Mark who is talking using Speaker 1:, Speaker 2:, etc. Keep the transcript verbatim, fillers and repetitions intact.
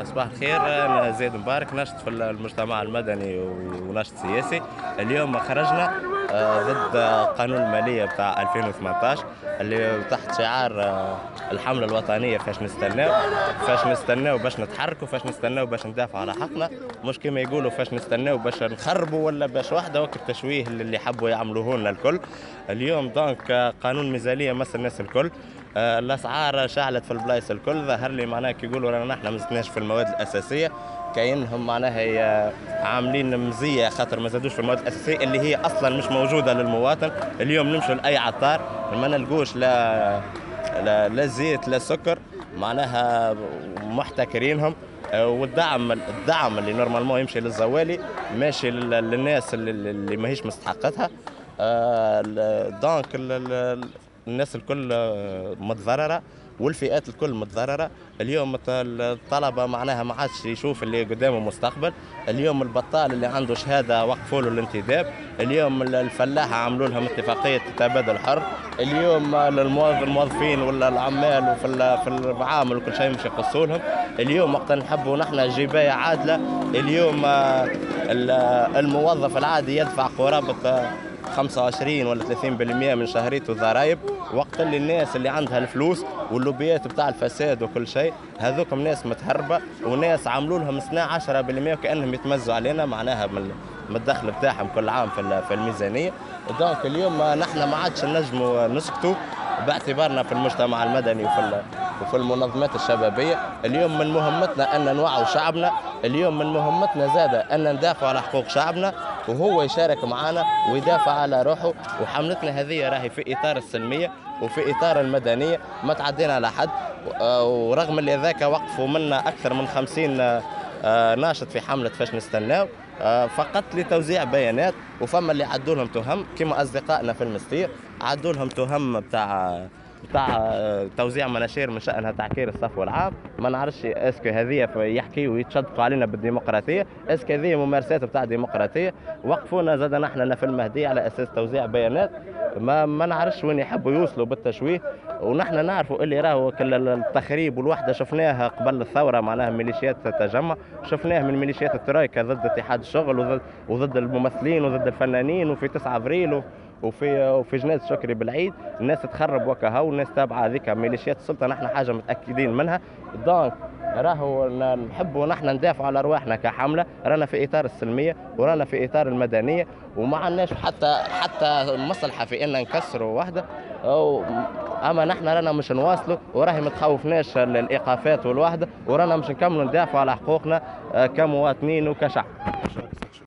Speaker 1: صباح الخير. أنا زيد مبارك، ناشط في المجتمع المدني وناشط سياسي. اليوم خرجنا ضد قانون المالية بتاع ألفين وثمانطاش اللي تحت شعار الحملة الوطنية فاش نستناو، فاش نستناو باش نتحركوا، فاش نستناو باش ندافعوا على حقنا، مش كما يقولوا فاش نستناو باش نخربوا ولا باش واحدة وقت التشويه اللي حبوا يعملوه لنا الكل. اليوم donc قانون ميزانية مس الناس الكل، الاسعار شعلت في البلايص الكل. ظهر لي معناها كي يقولوا رانا نحن ما زدناش في المواد الاساسية، كاينهم معناها عاملين مزية خاطر ما زادوش في المواد الاساسية اللي هي اصلا مش موجودة للمواطن. اليوم نمشوا لاي عطار ما نلقوش لا لا, لا زيت لا سكر، معناها محتكرينهم. والدعم الدعم اللي normalement يمشي للزوالي ماشي للناس اللي, اللي ماهيش مستحقتها. donc الناس الكل متضرره والفئات الكل متضرره. اليوم الطلبة معناها ما عادش يشوف اللي قدامه مستقبل. اليوم البطال اللي عنده شهادة وقفوا له الانتداب. اليوم الفلاحة عملوا لهم اتفاقية تبادل حر. اليوم الموظفين ولا العمال وفي في المعامل وكل شيء مش يقصوا لهم. اليوم وقت نحبوا نحن جبايه عادلة، اليوم الموظف العادي يدفع قرابة خمسة وعشرين ولا ثلاثين بالمئة من شهريته ضرائب، وقت اللي الناس اللي عندها الفلوس واللوبيات بتاع الفساد وكل شيء هذوكم ناس متهربه وناس عملوا لهم سنة عشرة بالمئة وكانهم يتمزوا علينا معناها من الدخل بتاعهم كل عام في في الميزانية. donc اليوم نحن ما عادش نجموا نسكتوا باعتبارنا في المجتمع المدني وفي وفي المنظمات الشبابية. اليوم من مهمتنا ان نوعوا شعبنا، اليوم من مهمتنا زاده ان ندافع على حقوق شعبنا وهو يشارك معنا ويدافع على روحه. وحملتنا هذه راهي في اطار السلمية وفي اطار المدنية، ما تعدينا على حد. ورغم اللي ذاك وقفوا منا اكثر من خمسين ناشط في حمله فاش نستناو فقط لتوزيع بيانات، وفما اللي عدوا لهم تهم كما اصدقائنا في المستير عدوا لهم تهم بتاع بتاع توزيع مناشير من شأنها تعكير الصفو العام. ما نعرفش est-ce que هذه يحكيوا ويتشدقوا علينا بالديمقراطية، est-ce que هذه ممارسات بتاع ديمقراطية. وقفونا زاد نحن في المهدية على اساس توزيع بيانات، ما ما نعرفش وين يحبوا يوصلوا بالتشويه. ونحن نعرفوا اللي راهو كل التخريب والوحدة شفناها قبل الثورة، معناها ميليشيات التجمع شفناه من ميليشيات الترويكا ضد اتحاد الشغل وضد وضد الممثلين وضد الفنانين، وفي تسعة افريل وفي وفي جنازة شكري بالعيد الناس تخرب وكهو، والناس تابعه هذيك ميليشيات السلطة. نحن حاجة متاكدين منها. donc راهو نحبوا نحن ندافعوا على ارواحنا كحمله، رانا في اطار السلمية ورانا في اطار المدنية، وما عندناش حتى حتى مصلحة في ان نكسروا وحده. أو اما نحن رانا مش نواصلوا، وراهي ما تخوفناش الايقافات والوحدة، ورانا مش نكملوا ندافعوا على حقوقنا كمواطنين وكشعب.